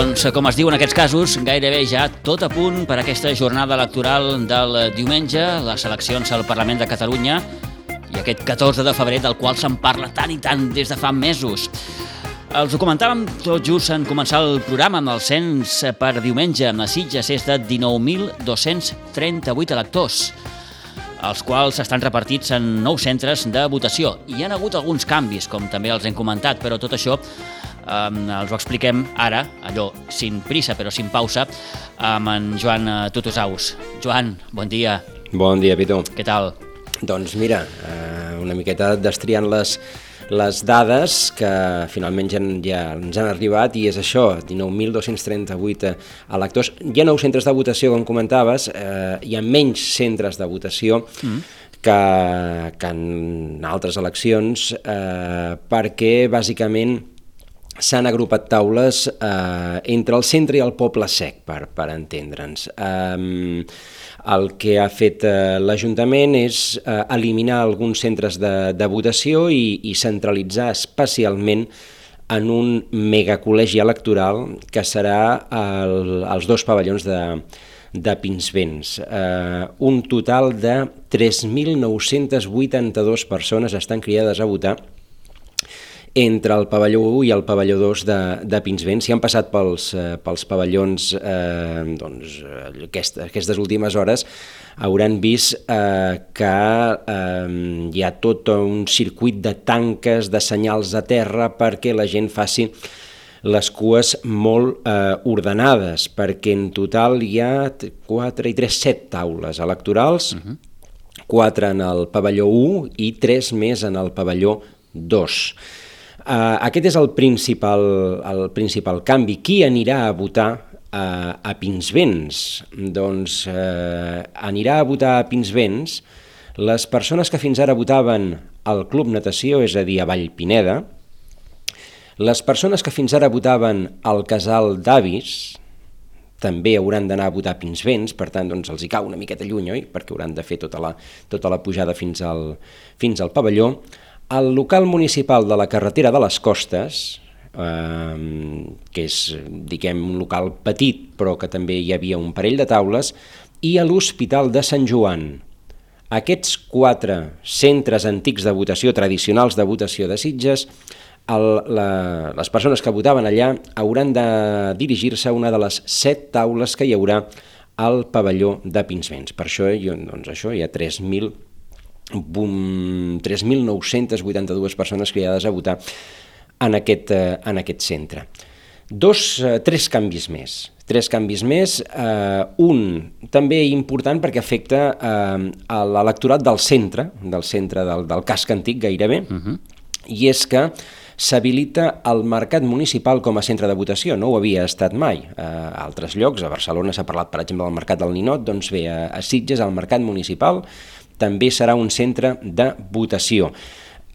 Doncs, com es diu en aquests casos, gairebé ja tot a punt per aquesta jornada electoral del diumenge, les eleccions al Parlament de Catalunya i aquest 14 de febrer del qual se'n parla tant i tant des de fa mesos. Els ho comentàvem tot just en començar el programa amb el cens per diumenge amb les Sitges és de 19.238 electors, els quals estan repartits en 9 centres de votació. Hi ha hagut alguns canvis, com també els hem comentat, però tot això els ho expliquem ara, allò, sin prisa però sin pausa, amb en Joan Tutusaus. Joan, bon dia. Bon dia, Pitu. Què tal? Doncs mira, una miqueta destriant les dades que finalment ja ens han arribat, i és això, 19.238 electors. Hi ha 9 centres de votació, com comentaves, hi ha menys centres de votació que en altres eleccions, perquè bàsicament s'han agrupat taules entre el centre i el Poble Sec, per entendre'ns. El que ha fet l'Ajuntament és eliminar alguns centres de votació i centralitzar especialment en un megacol·legi electoral que serà els 2 pavellons de Pinsbens. Un total de 3.982 persones estan cridades a votar entre el pavelló 1 i el pavelló 2 de Pinsbens. Si han passat pels pavellons aquestes últimes hores, hauran vist que hi ha tot un circuit de tanques, de senyals a terra, perquè la gent faci les cues molt ordenades, perquè en total hi ha 4 i 3, 7 taules electorals, 4 en el pavelló 1 i 3 més en el pavelló 2. Aquest és el principal canvi. Qui anirà a votar a Pinsbens? Doncs anirà a votar a Pinsbens les persones que fins ara votaven al Club Natació, és a dir, a Vallpineda, les persones que fins ara votaven al Casal d'Avis, també hauran d'anar a votar a Pinsbens, per tant doncs, els hi cau una miqueta lluny, oi? Perquè hauran de fer tota la pujada fins al pavelló. El local municipal de la carretera de les Costes, que és, diguem, un local petit, però que també hi havia un parell de taules, i a l'Hospital de Sant Joan. Aquests 4 centres antics de votació, tradicionals de votació de Sitges, les persones que votaven allà hauran de dirigir-se a una de les 7 taules que hi haurà al pavelló de Pinsbens. Per això, doncs, hi ha 3.982 persones cridades a votar en aquest centre. 3 canvis més. 3 canvis més, un també important perquè afecta l'electorat del centre del casc antic gairebé, i és que s'habilita el mercat municipal com a centre de votació. No ho havia estat mai. A altres llocs, a Barcelona s'ha parlat, per exemple, del mercat del Ninot, doncs bé, a Sitges el mercat municipal també serà un centre de votació.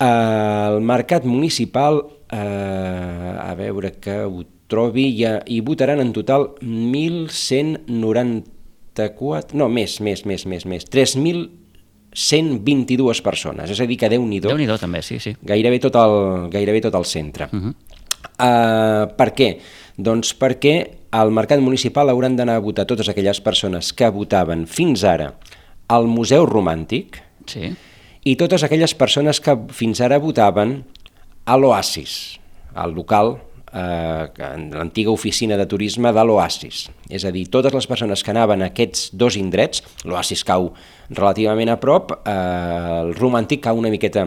El mercat municipal, a veure que ho trobi, hi votaran en total 1.194... No, més, 3.122 persones, és a dir, que Déu-n'hi-do. Déu-n'hi-do també, sí. Gairebé tot el centre. Per què? Doncs perquè al mercat municipal hauran d'anar a votar totes aquelles persones que votaven fins ara al Museu Romàntic, i totes aquelles persones que fins ara votaven a l'Oasis, al local, l'antiga oficina de turisme de l'Oasis. És a dir, totes les persones que anaven a aquests 2 indrets, l'Oasis cau relativament a prop, el Romàntic cau una miqueta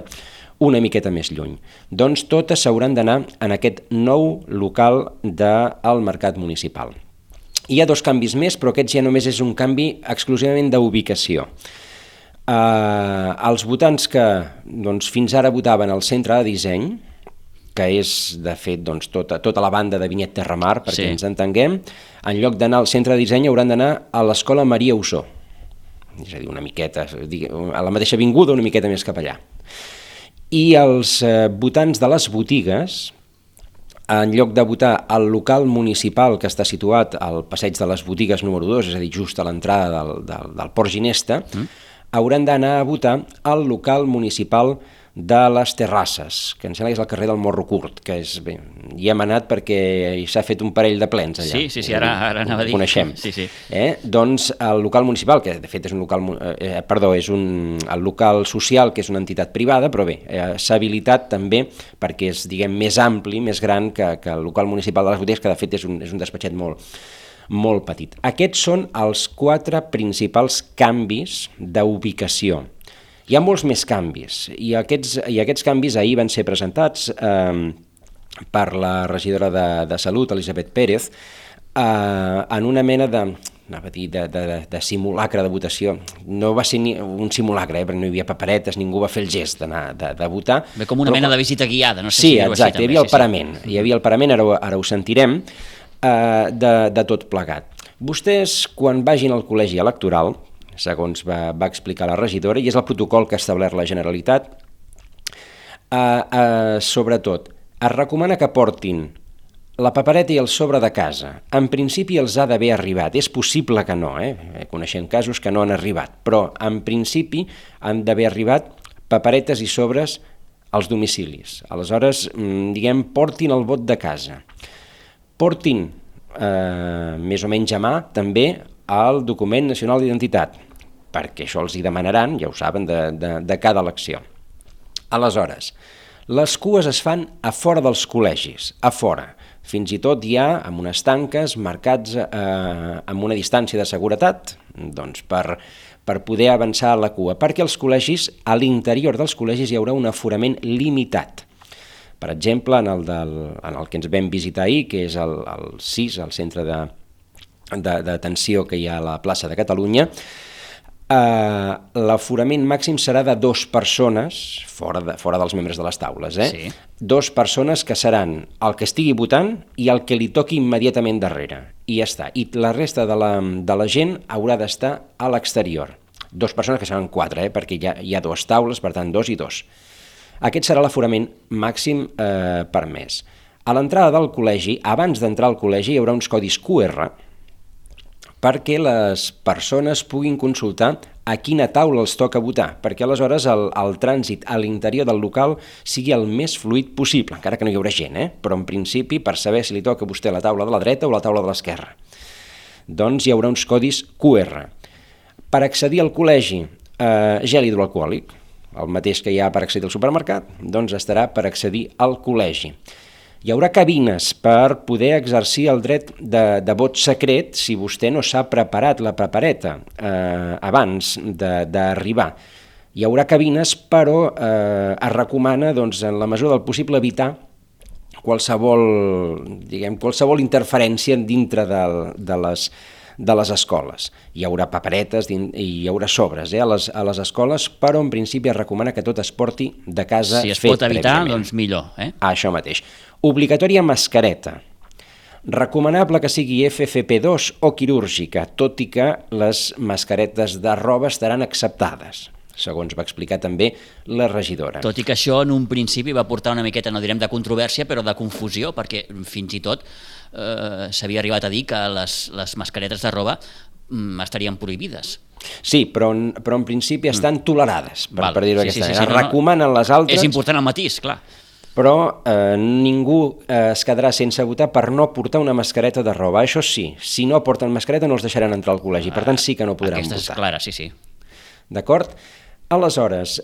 més lluny. Doncs totes s'hauran d'anar en aquest nou local del mercat municipal. Hi ha 2 canvis més, però aquests ja només és un canvi exclusivament d'ubicació. Els votants que fins ara votaven al centre de disseny, que és, de fet, tota la banda de Vinyet Terramar, perquè ens entenguem, en lloc d'anar al centre de disseny hauran d'anar a l'Escola Maria Ossó, és a dir, una miqueta, a la mateixa avinguda, una miqueta més cap allà. I els votants de les botigues, en lloc de votar al local municipal que està situat al Passeig de les Botigues número 2, és a dir, just a l'entrada del Port Ginesta, hauran d'anar a votar al local municipal de les Terrasses, que em sembla que és el carrer del Morro Curt, que és, bé, hi hem anat perquè s'ha fet un parell de plens allà. Sí, ara anava a dir. Ho coneixem. Sí. Doncs el local municipal, que de fet és un local, el local social, que és una entitat privada, però bé, s'ha habilitat també perquè és, diguem, més ampli, més gran que el local municipal de les botigues, que de fet és un despatxet molt petit. Aquests són els 4 principals canvis d'ubicació. Hi ha molts més canvis, i aquests canvis ahir van ser presentats per la regidora de Salut, Elisabet Pérez, en una mena de simulacre de votació. No va ser ni un simulacre, perquè no hi havia paperetes, ningú va fer el gest d'anar de votar. Bé, com una mena de visita guiada, no sé si dir-ho així. Sí, exacte, hi havia el parament, hi havia el parament, ara ho sentirem, de tot plegat. Vostès, quan vagin al col·legi electoral, segons va explicar la regidora, i és el protocol que ha establert la Generalitat, sobretot, es recomana que portin la papereta i el sobre de casa. En principi els ha d'haver arribat. És possible que no, coneixem casos que no han arribat, però en principi han d'haver arribat paperetes i sobres als domicilis. Aleshores, diguem, portin el vot de casa. Portin, més o menys a mà, també el document nacional d'identitat, perquè això els hi demanaran, ja ho saben, de cada elecció. Aleshores, les cues es fan a fora dels col·legis, a fora. Fins i tot hi ha amb unes tanques marcats amb una distància de seguretat, doncs per poder avançar a la cua, perquè els col·legis, a l'interior dels col·legis hi haurà un aforament limitat. Per exemple, en el que ens vam visitar ahir, que és el CIS, el centre d'atenció que hi ha a la plaça de Catalunya, l'aforament màxim serà de 2 persones, fora dels membres de les taules, Sí. 2 persones que seran el que estigui votant i el que li toqui immediatament darrere, i ja està. I la resta de la gent haurà d'estar a l'exterior. 2 persones que seran 4, perquè hi ha 2 taules, per tant 2 i 2. Aquest serà l'aforament màxim permès. A l'entrada del col·legi, abans d'entrar al col·legi, hi haurà uns codis QR, perquè les persones puguin consultar a quina taula els toca votar, perquè aleshores el trànsit a l'interior del local sigui el més fluid possible, encara que no hi haurà gent, però en principi per saber si li toca a vostè la taula de la dreta o la taula de l'esquerra. Doncs hi haurà uns codis QR. Per accedir al col·legi, gel hidroalcohòlic, el mateix que hi ha per accedir al supermercat, doncs estarà per accedir al col·legi. Hi haurà cabines per poder exercir el dret de vot secret si vostè no s'ha preparat la papereta abans d'arribar. Hi haurà cabines, però es recomana, doncs, en la mesura del possible, evitar qualsevol interferència dintre de les escoles. Hi haurà paperetes i hi haurà sobres a les escoles, però en principi es recomana que tot es porti de casa fet prèviament. Si es pot evitar, doncs millor. Això mateix. Obligatòria mascareta. Recomanable que sigui FFP2 o quirúrgica, tot i que les mascaretes de roba estaran acceptades, segons va explicar també la regidora. Tot i que això en un principi va portar una miqueta, no direm de controvèrsia, però de confusió, perquè fins i tot s'havia arribat a dir que les mascaretes de roba estarien prohibides. Sí, però en principi estan tolerades, per dir-ho d'aquesta manera. Recomanen les altres... És important el matís, clar. Però ningú es quedarà sense votar per no portar una mascareta de roba. Això sí, si no porten mascareta no els deixaran entrar al col·legi, per tant sí que no podran votar. Aquesta és clara, sí. D'acord? Aleshores,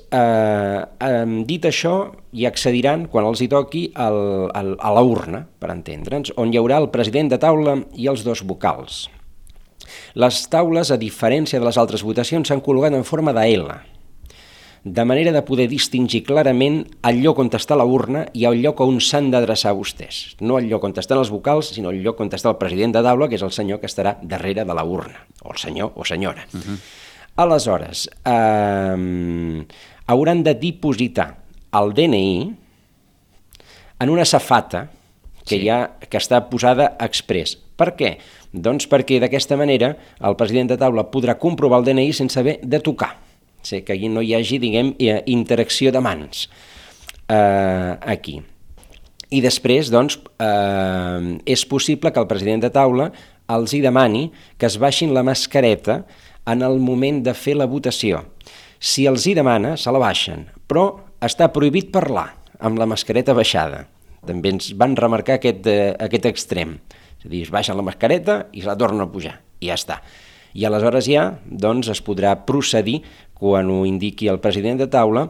dit això, hi accediran, quan els hi toqui, a la urna, per entendre'ns, on hi haurà el president de taula i els 2 vocals. Les taules, a diferència de les altres votacions, s'han col·locat en forma de L, de manera de poder distingir clarament el lloc on està la urna i el lloc on s'han d'adreçar vostès. No el lloc on estan els vocals, sinó el lloc on està el president de taula, que és el senyor que estarà darrere de la urna, o el senyor o senyora. Aleshores, hauran de dipositar el DNI en una safata que està posada exprés. Per què? Doncs perquè d'aquesta manera el president de taula podrà comprovar el DNI sense haver de tocar. Que no hi hagi, interacció de mans aquí. I després, doncs, és possible que el president de taula els hi demani que es baixin la mascareta en el moment de fer la votació. Si els hi demana, se la baixen, però està prohibit parlar, amb la mascareta baixada. També ens van remarcar aquest extrem. És a dir, es baixa la mascareta i se la torna a pujar, i ja està. I aleshores ja doncs, es podrà procedir, quan ho indiqui el president de taula,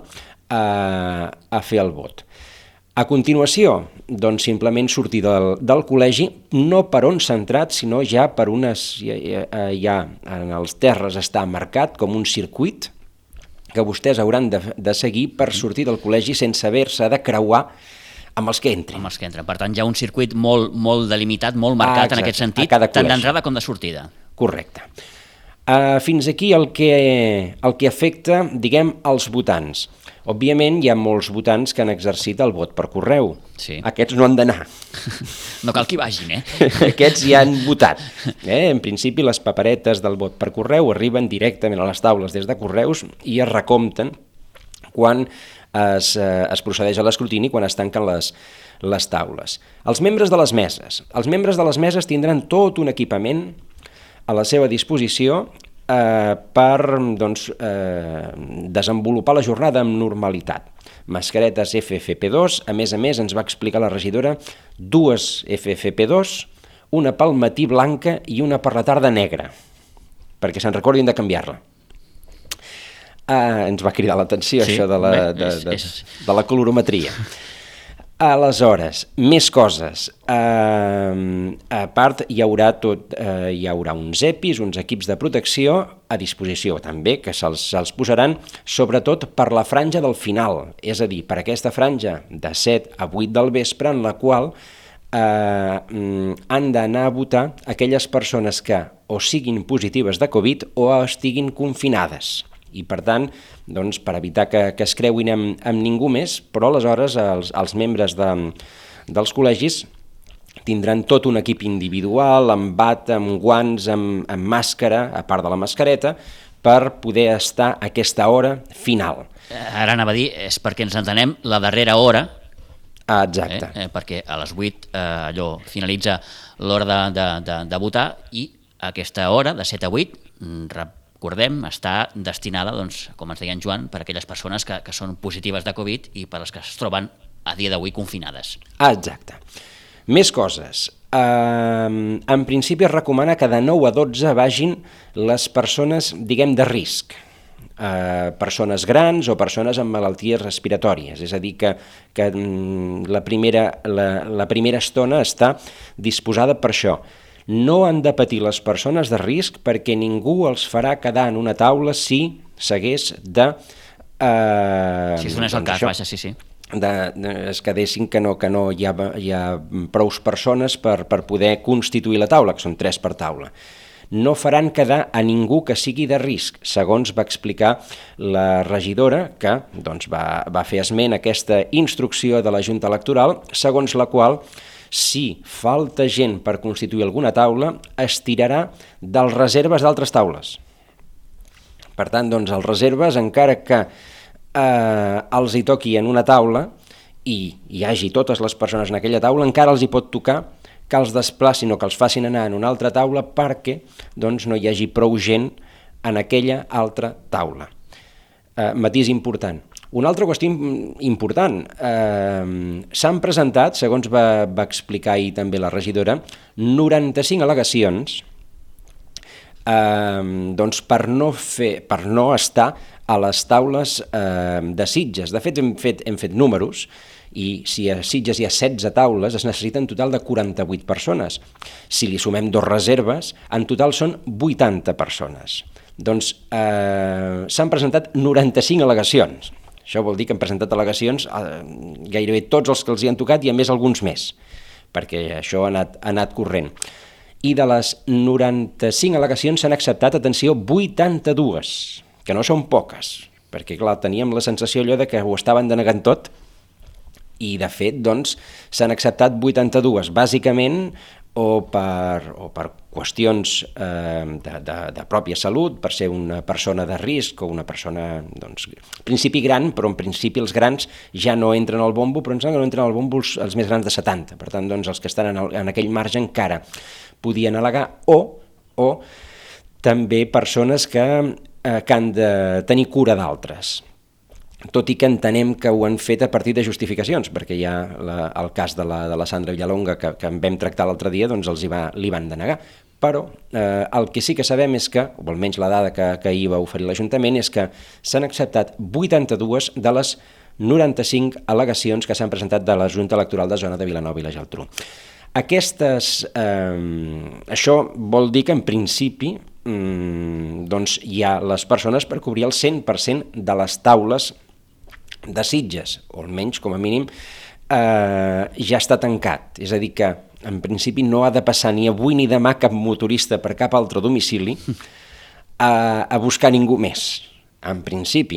a fer el vot. A continuació, doncs simplement sortir del col·legi, no per on s'ha entrat, sinó ja per unes... Ja en els terres està marcat com un circuit que vostès hauran de seguir per sortir del col·legi sense haver-se de creuar amb els que entrin. Amb els que entren. Per tant, hi ha un circuit molt delimitat, molt marcat en aquest sentit, tant d'entrada com de sortida. Correcte. Fins aquí el que afecta, diguem, als votants. Òbviament hi ha molts votants que han exercit el vot per correu. Sí. Aquests no han d'anar. No cal que hi vagin, Aquests ja han votat. En principi les paperetes del vot per correu arriben directament a les taules des de correus i es recompten quan es procedeix a l'escrutini, quan es tanquen les taules. Els membres de les meses. Els membres de les meses tindran tot un equipament a la seva disposició per desenvolupar la jornada amb normalitat. Mascaretes FFP2, a més ens va explicar la regidora, 2 FFP2, una pel matí blanca i una per la tarda negra, perquè se'n recordin de canviar-la. Ens va cridar l'atenció, sí, això de la colorimetria. Aleshores, més coses. A part, hi haurà uns EPIs, uns equips de protecció a disposició també, que se'ls posaran sobretot per la franja del final, és a dir, per aquesta franja de 7 a 8 del vespre, en la qual han d'anar a votar aquelles persones que o siguin positives de Covid o estiguin confinades. I per tant, doncs, per evitar que es creuin amb ningú més, però aleshores els membres dels col·legis tindran tot un equip individual, amb bata, amb guants, amb màscara, a part de la mascareta, per poder estar a aquesta hora final. Ara anava a dir, és perquè ens entenem la darrera hora, exacte. Perquè a les 8 finalitza l'hora de votar i aquesta hora, de 7 a 8, recordem, està destinada, doncs, com ens deia en Joan, per a aquelles persones que són positives de Covid i per les que es troben a dia d'avui confinades. Exacte. Més coses. En principi es recomana que de 9 a 12 vagin les persones, diguem, de risc. Persones grans o persones amb malalties respiratòries. És a dir, que la primera estona està disposada per això. No han de patir les persones de risc perquè ningú els farà quedar en una taula si s'hagués de... Si es donés el cas, vaja, sí. Es quedessin que no hi ha prous persones per poder constituir la taula, que són 3 per taula. No faran quedar a ningú que sigui de risc, segons va explicar la regidora, que doncs, va fer esment aquesta instrucció de la Junta Electoral, segons la qual, si falta gent per constituir alguna taula, es tirarà dels reserves d'altres taules. Per tant, doncs, els reserves, encara que els hi toqui en una taula i hi hagi totes les persones en aquella taula, encara els hi pot tocar que els desplacin o que els facin anar en una altra taula perquè doncs, no hi hagi prou gent en aquella altra taula. Matís important. Una altra qüestió important, s'han presentat, segons va explicar ahir també la regidora, 95 al·legacions doncs per no estar a les taules de Sitges. De fet, hem fet números i si a Sitges hi ha 16 taules es necessiten en total de 48 persones. Si li sumem 2 reserves, en total són 80 persones. Doncs s'han presentat 95 al·legacions. Això vol dir que han presentat al·legacions gairebé tots els que els hi han tocat i a més alguns més, perquè això ha anat corrent. I de les 95 al·legacions s'han acceptat, atenció, 82, que no són poques, perquè clar, teníem la sensació allò de que ho estaven denegant tot i de fet doncs s'han acceptat 82, bàsicament o per qüestions de pròpia salut, per ser una persona de risc o una persona, doncs, en principi gran, però en principi els grans ja no entren al bombo, però no entren al bombo els més grans de 70, per tant, doncs, els que estan en aquell marge encara podien al·legar, o també persones que han de tenir cura d'altres. tot i que entenem que ho han fet a partir de justificacions, perquè hi ha el cas de la Sandra Villalonga que en vam tractar l'altre dia, doncs li van denegar. Però el que sí que sabem és que, o almenys la dada que ahir va oferir l'Ajuntament, és que s'han acceptat 82 de les 95 al·legacions que s'han presentat de la Junta Electoral de Zona de Vilanova i la Geltrú. Això vol dir que en principi doncs hi ha les persones per cobrir el 100% de les taules de Sitges, o almenys, com a mínim, ja està tancat. És a dir, que en principi no ha de passar ni avui ni demà cap motorista per cap altre domicili a buscar ningú més. En principi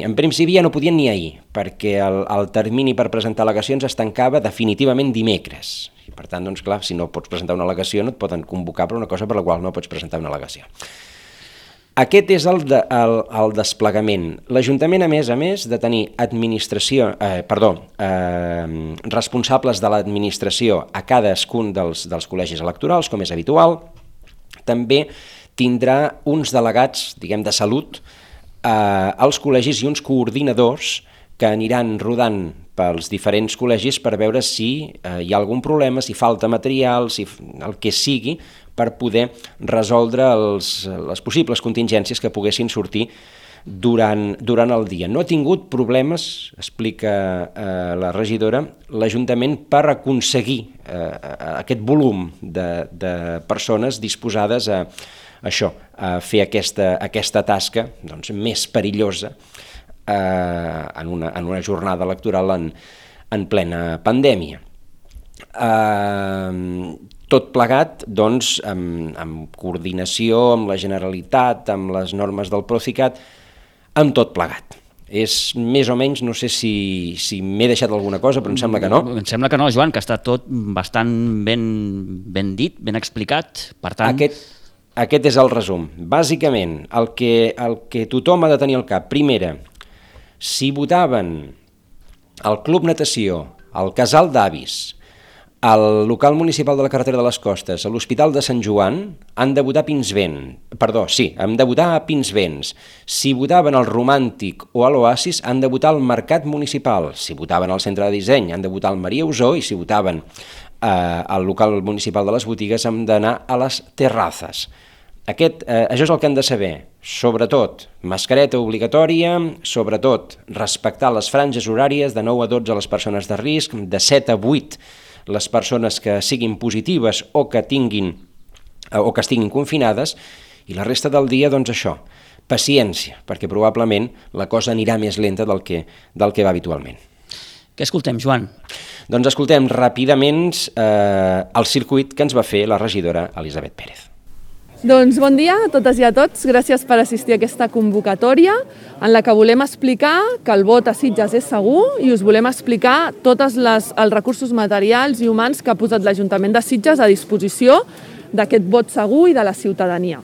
ja no podien ni ahir, perquè el termini per presentar al·legacions es tancava definitivament dimecres. I per tant, doncs clar, si no pots presentar una al·legació no et poden convocar per una cosa per la qual no pots presentar una al·legació. Aquest és el desplegament. L'Ajuntament, a més de tenir responsables de l'administració a cadascun dels col·legis electorals, com és habitual, també tindrà uns delegats, diguem, de salut als col·legis i uns coordinadors que aniran rodant pels diferents col·legis per veure si hi ha algun problema, si falta material, si el que sigui, per poder resoldre les possibles contingències que poguessin sortir durant el dia. No ha tingut problemes, explica la regidora, l'Ajuntament per aconseguir aquest volum de persones disposades a fer aquesta tasca doncs, més perillosa en una jornada electoral en plena pandèmia. Tot plegat, doncs, amb coordinació amb la Generalitat, amb les normes del Procicat, amb tot plegat. És més o menys, no sé si m'he deixat alguna cosa, però em sembla que no. Em sembla que no, Joan, que està tot bastant ben dit, ben explicat. Per tant... Aquest és el resum. Bàsicament, el que tothom ha de tenir al cap, primera, si votaven al Club Natació, al Casal d'Avis, al local municipal de la carretera de les Costes, a l'Hospital de Sant Joan, han de votar a Pinsbens. Si votaven al Romàntic o a l'Oasis, han de votar al Mercat Municipal. Si votaven al Centre de Disseny, han de votar al Maria Usó, i si votaven al local municipal de les Botigues, han d'anar a les Terrazas. Això és el que han de saber. Sobretot, mascareta obligatòria, sobretot, respectar les franges horàries de 9 a 12 a les persones de risc, de 7 a 8 les persones que siguin positives o que estiguin confinades, i la resta del dia, doncs això, paciència, perquè probablement la cosa anirà més lenta del que va habitualment. Què escoltem, Joan? Doncs escoltem ràpidament el circuit que ens va fer la regidora Elisabet Pérez. Doncs bon dia a totes i a tots, gràcies per assistir a aquesta convocatòria en la que volem explicar que el vot a Sitges és segur i us volem explicar tots els recursos materials i humans que ha posat l'Ajuntament de Sitges a disposició d'aquest vot segur i de la ciutadania.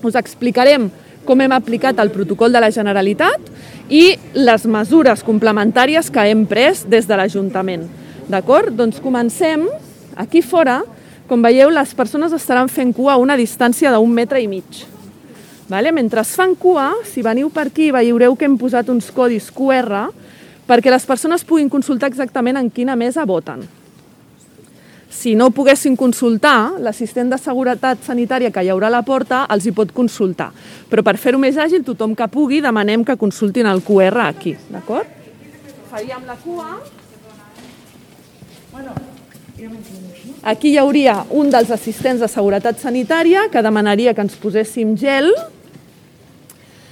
Us explicarem com hem aplicat el protocol de la Generalitat i les mesures complementàries que hem pres des de l'Ajuntament. D'acord? Doncs comencem aquí fora. Com veieu, les persones estaran fent cua a una distància d'1,5 metres. Mentre es fan cua, si veniu per aquí, veureu que hem posat uns codis QR perquè les persones puguin consultar exactament en quina mesa voten. Si no poguessin consultar, l'assistent de seguretat sanitària que hi haurà a la porta els hi pot consultar. Però per fer-ho més àgil, tothom que pugui, demanem que consultin el QR aquí. D'acord? Faríem la cua. Aquí hi hauria un dels assistents de seguretat sanitària que demanaria que ens poséssim gel.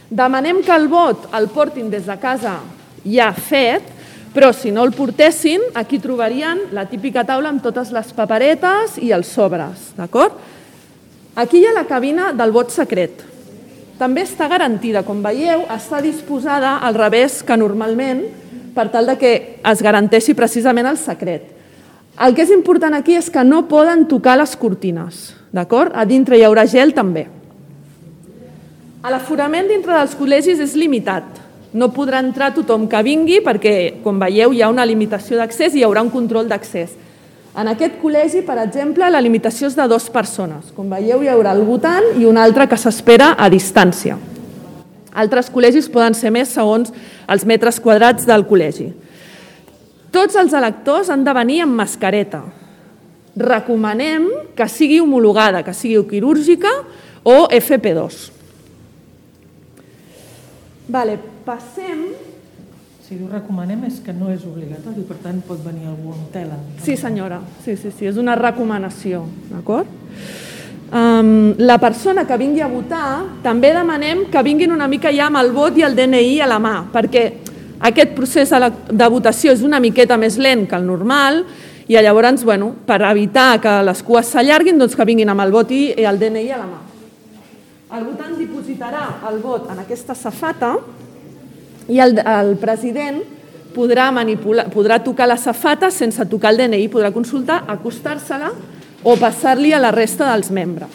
Demanem que el vot el portin des de casa ja fet, però si no el portessin, aquí trobarien la típica taula amb totes les paperetes i els sobres. D'acord? Aquí hi ha la cabina del vot secret. També està garantida, com veieu, està disposada al revés que normalment per tal que es garanteixi precisament el secret. El que és important aquí és que no poden tocar les cortines, d'acord? A dintre hi haurà gel també. L'aforament dintre dels col·legis és limitat. No podrà entrar tothom que vingui perquè, com veieu, hi ha una limitació d'accés i hi haurà un control d'accés. En aquest col·legi, per exemple, la limitació és de 2 persones. Com veieu, hi haurà el votant i un altre que s'espera a distància. Altres col·legis poden ser més segons els metres quadrats del col·legi. Tots els electors han de venir amb mascareta. Recomanem que sigui homologada, que sigui quirúrgica o FP2. Passem... Si ho recomanem és que no és obligatori, per tant pot venir algú amb tela. Sí, senyora, sí, és una recomanació, d'acord? La persona que vingui a votar també demanem que vinguin una mica ja amb el vot i el DNI a la mà, perquè aquest procés de votació és una miqueta més lent que el normal i llavors, per evitar que les cues s'allarguin, doncs que vinguin amb el vot i el DNI a la mà. El votant dipositarà el vot en aquesta safata i el president podrà tocar la safata sense tocar el DNI, podrà consultar, acostar-se-la o passar-li a la resta dels membres.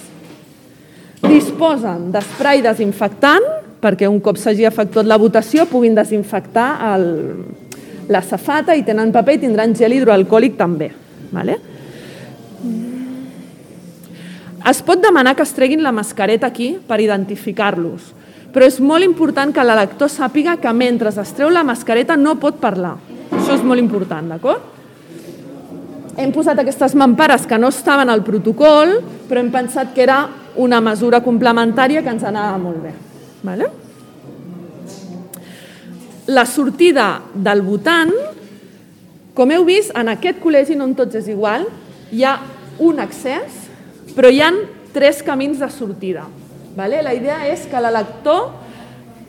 Disposen d'esprai desinfectant perquè un cop s'hagi efectuat la votació puguin desinfectar la safata i tenen paper i tindran gel hidroalcohòlic també. Es pot demanar que es treguin la mascareta aquí per identificar-los, però és molt important que l'elector sàpiga que mentre es treu la mascareta no pot parlar. Això és molt important, d'acord? Hem posat aquestes mampares que no estaven al protocol, però hem pensat que era una mesura complementària que ens anava molt bé. La sortida del votant, com heu vist, en aquest col·legi no en tots és igual, hi ha un accés, però hi ha 3 camins de sortida. La idea és que l'elector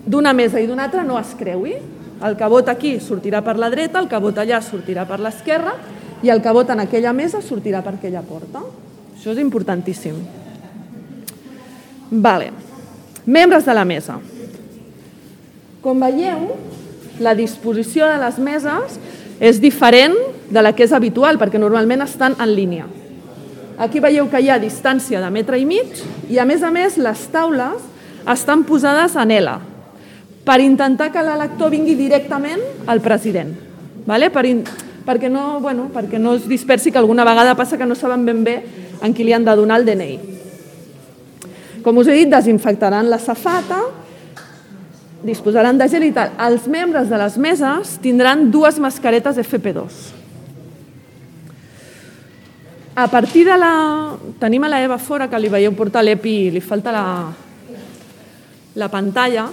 d'una mesa i d'una altra no es creui. El que vota aquí sortirà per la dreta, el que vota allà sortirà per l'esquerra i el que vota en aquella mesa sortirà per aquella porta. Això és importantíssim. Membres de la mesa. Com veieu, la disposició de les meses és diferent de la que és habitual, perquè normalment estan en línia. Aquí veieu que hi ha distància de 1,5 metres i, a més, les taules estan posades en L per intentar que l'elector vingui directament al president, perquè no es dispersi, que alguna vegada passa que no saben ben bé en qui li han de donar el DNI. Com us he dit, desinfectaran la safata, disposaran de gel i tal. Els membres de les meses tindran 2 mascaretes FP2. A partir de la... Tenim a la Eva fora, que li veieu portar l'EPI i li falta la pantalla.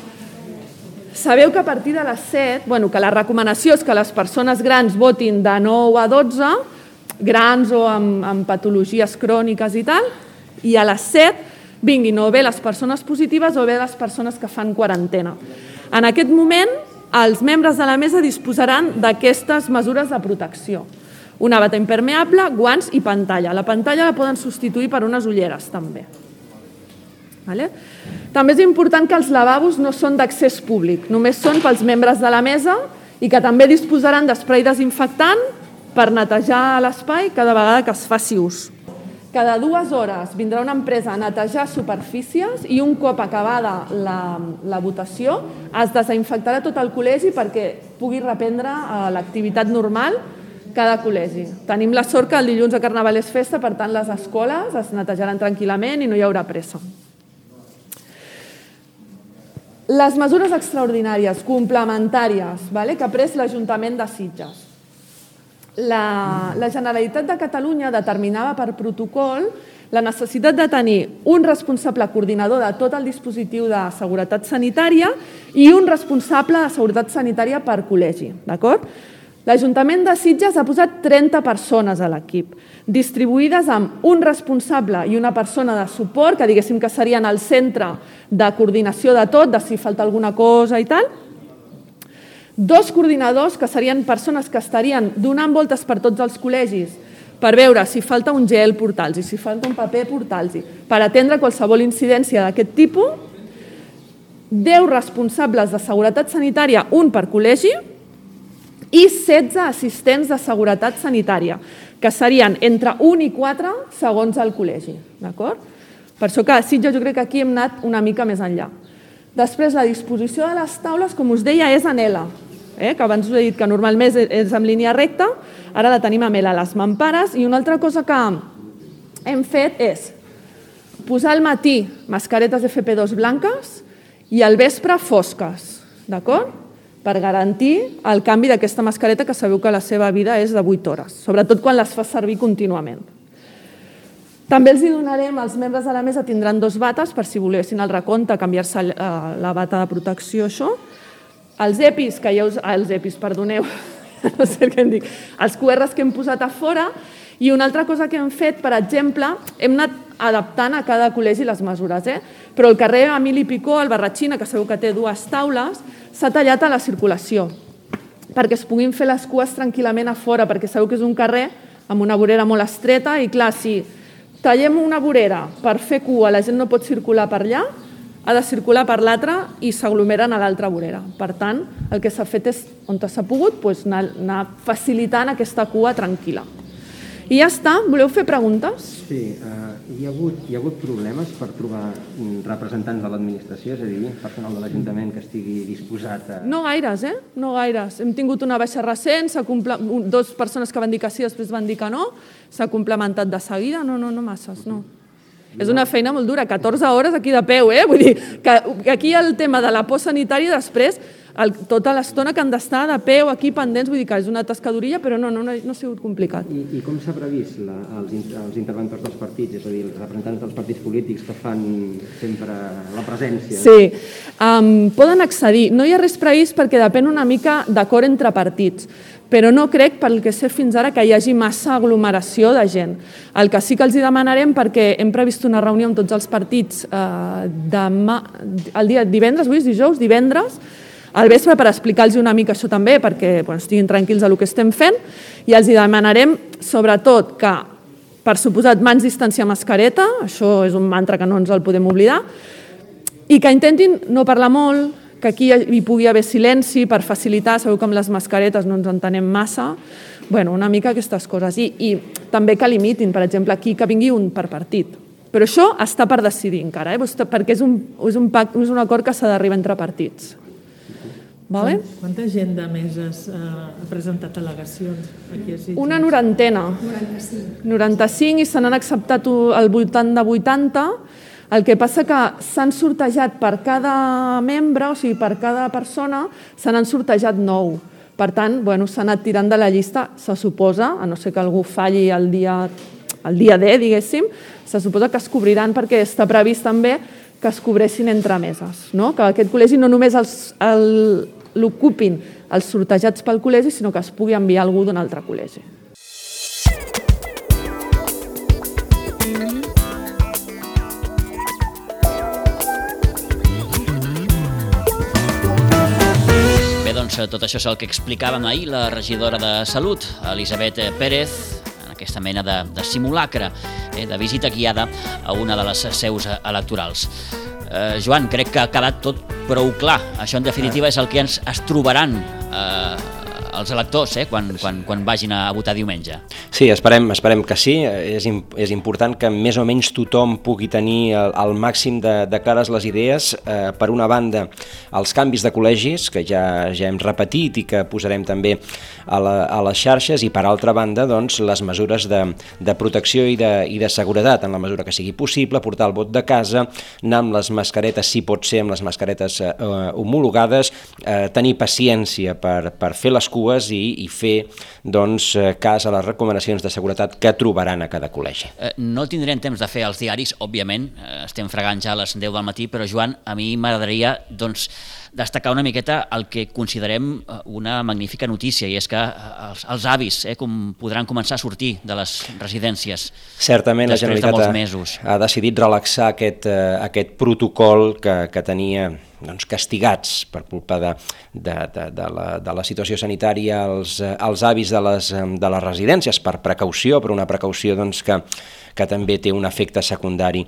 Sabeu que a partir de les 7, que la recomanació és que les persones grans votin de 9 a 12, grans o amb patologies cròniques i tal, i a les 7 vinguin o bé les persones positives o bé les persones que fan quarantena. En aquest moment, els membres de la mesa disposaran d'aquestes mesures de protecció. Una bata impermeable, guants i pantalla. La pantalla la poden substituir per unes ulleres, també. També és important que els lavabos no són d'accés públic, només són pels membres de la mesa i que també disposaran d'esprai desinfectant per netejar l'espai cada vegada que es faci ús. Cada 2 hores vindrà una empresa a netejar superfícies i un cop acabada la votació es desinfectarà tot el col·legi perquè pugui reprendre l'activitat normal cada col·legi. Tenim la sort que el dilluns de Carnaval és festa, per tant les escoles es netejaran tranquil·lament i no hi haurà pressa. Les mesures extraordinàries, complementàries, que ha pres l'Ajuntament de Sitges. La Generalitat de Catalunya determinava per protocol la necessitat de tenir un responsable coordinador de tot el dispositiu de seguretat sanitària i un responsable de seguretat sanitària per col·legi. L'Ajuntament de Sitges ha posat 30 persones a l'equip, distribuïdes amb un responsable i una persona de suport, que diguéssim que serien el centre de coordinació de tot, de si falta alguna cosa i tal. 2 coordinadors, que serien persones que estarien donant voltes per tots els col·legis per veure si falta un gel, portar-los, si falta un paper, portar-los, per atendre qualsevol incidència d'aquest tipus. 10 responsables de seguretat sanitària, un per col·legi, i 16 assistents de seguretat sanitària, que serien entre 1 i 4 segons el col·legi. Per això que a Sitges jo crec que aquí hem anat una mica més enllà. Després, la disposició de les taules, com us deia, és en L, que abans us he dit que normalment és en línia recta, ara la tenim amb L, les mampares, i una altra cosa que hem fet és posar al matí mascaretes FP2 blanques i al vespre fosques, d'acord? Per garantir el canvi d'aquesta mascareta, que sabeu que la seva vida és de 8 hores, sobretot quan les fa servir contínuament. També els donarem, els membres de la mesa tindran 2 bates per si volguessin al recompte canviar-se la bata de protecció, això. Els EPIs, els EPIs, perdoneu, no sé què em dic, els QRs que hem posat a fora, i una altra cosa que hem fet, per exemple, hem anat adaptant a cada col·legi les mesures, però el carrer Emili Picó, al Barratxina, que sabeu que té 2 taules, s'ha tallat a la circulació, perquè es puguin fer les cues tranquil·lament a fora, perquè sabeu que és un carrer amb una vorera molt estreta i, clar, si tallem una vorera per fer cua, la gent no pot circular per allà, ha de circular per l'altra i s'aglomeren a l'altra vorera. Per tant, el que s'ha fet és, on s'ha pogut, anar facilitant aquesta cua tranquil·la. I ja està. Voleu fer preguntes? Sí. Hi ha hagut problemes per trobar representants de l'administració, és a dir, personal de l'Ajuntament que estigui disposat a... No gaires, No gaires. Hem tingut una baixa recent, 2 persones que van dir que sí, després van dir que no, s'ha complementat de seguida, no masses, no. És una feina molt dura, 14 hores aquí de peu, Vull dir que aquí el tema de la por sanitària després, tota l'estona que han d'estar de peu aquí pendents, vull dir que és una tascadurilla, però no ha sigut complicat. I com s'ha previst els interventors dels partits, és a dir, els representants dels partits polítics que fan sempre la presència? Sí, poden accedir. No hi ha res previst perquè depèn una mica d'acord entre partits, però no crec, pel que sé fins ara, que hi hagi massa aglomeració de gent. El que sí que els demanarem, perquè hem previst una reunió amb tots els partits el dia divendres, avui és dijous, divendres, al vespre, per explicar-los una mica això també, perquè estiguin tranquils del que estem fent, i els demanarem, sobretot, que, per suposat, mans, distància, mascareta, això és un mantra que no ens el podem oblidar, i que intentin no parlar molt, que aquí hi pugui haver silenci per facilitar, sabeu que amb les mascaretes no ens entenem massa, una mica aquestes coses. I també que limitin, per exemple, aquí que vingui un per partit. Però això està per decidir encara, perquè és un acord que s'ha d'arribar entre partits. Quanta gent de meses ha presentat al·legacions aquí a Sitges? Una 90. 95 i se n'han acceptat al voltant de 80. El que passa que s'han sortejat per cada membre, o sigui, per cada persona, se n'han sortejat 9. Per tant, s'ha anat tirant de la llista, se suposa, a no ser que algú falli el dia D, diguéssim, se suposa que es cobriran perquè està previst també que es cobressin entre meses, que aquest col·legi no només l'ocupin els sortejats pel col·legi, sinó que es pugui enviar algú d'un altre col·legi. Bé, doncs tot això és el que explicàvem ahir la regidora de Salut, Elisabet Pérez, en aquesta mena de simulacre, de visita guiada a una de les seus electorals. Joan, crec que ha quedat tot prou clar. Això, en definitiva, és el que ens trobaran els electors quan vagin a votar diumenge. Sí, esperem que sí. És important que més o menys tothom pugui tenir al màxim de clares les idees. Per una banda, els canvis de col·legis, que ja hem repetit i que posarem també a les xarxes, i per altra banda, doncs, les mesures de protecció i de seguretat, en la mesura que sigui possible, portar el vot de casa, anar amb les mascaretes, si pot ser amb les mascaretes homologades, tenir paciència per fer les cues i fer cas a les recomanacions de seguretat que trobaran a cada col·legi. No tindrem temps de fer els diaris, òbviament, estem fregant ja a les 10 del matí, però Joan, a mi m'agradaria destacar una miqueta el que considerem una magnífica notícia, i és que els avis podran començar a sortir de les residències. Certament la Generalitat ha decidit relaxar aquest protocol que tenia castigats per culpa de la situació sanitària als avis de les residències, per precaució, però una precaució que també té un efecte secundari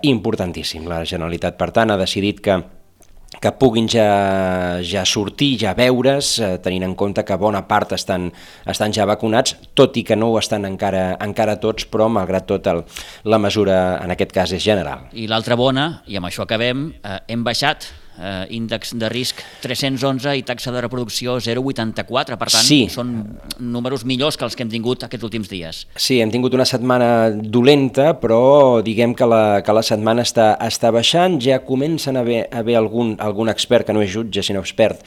importantíssim. La Generalitat, per tant, ha decidit que puguin ja sortir, ja veure's, tenint en compte que bona part estan ja vacunats, tot i que no ho estan encara tots, però malgrat tot la mesura en aquest cas és general. I l'altra bona, i amb això acabem, hem baixat índex de risc 311 i taxa de reproducció 0,84. Per tant, sí, són números millors que els que hem tingut aquests últims dies. Sí, hem tingut una setmana dolenta, però diguem que la setmana està baixant. Ja comencen a haver algun expert, que no és jutge sinó expert,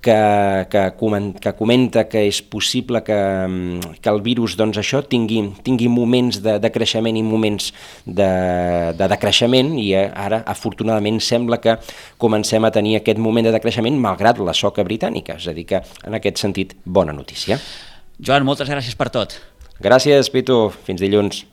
que comenta que és possible que el virus tingui moments de creixement i moments de decreixement, i ara afortunadament sembla que comencem a tenir aquest moment de decreixement malgrat la soca britànica, és a dir que en aquest sentit bona notícia. Joan, moltes gràcies per tot. Gràcies, Pitu, fins dilluns.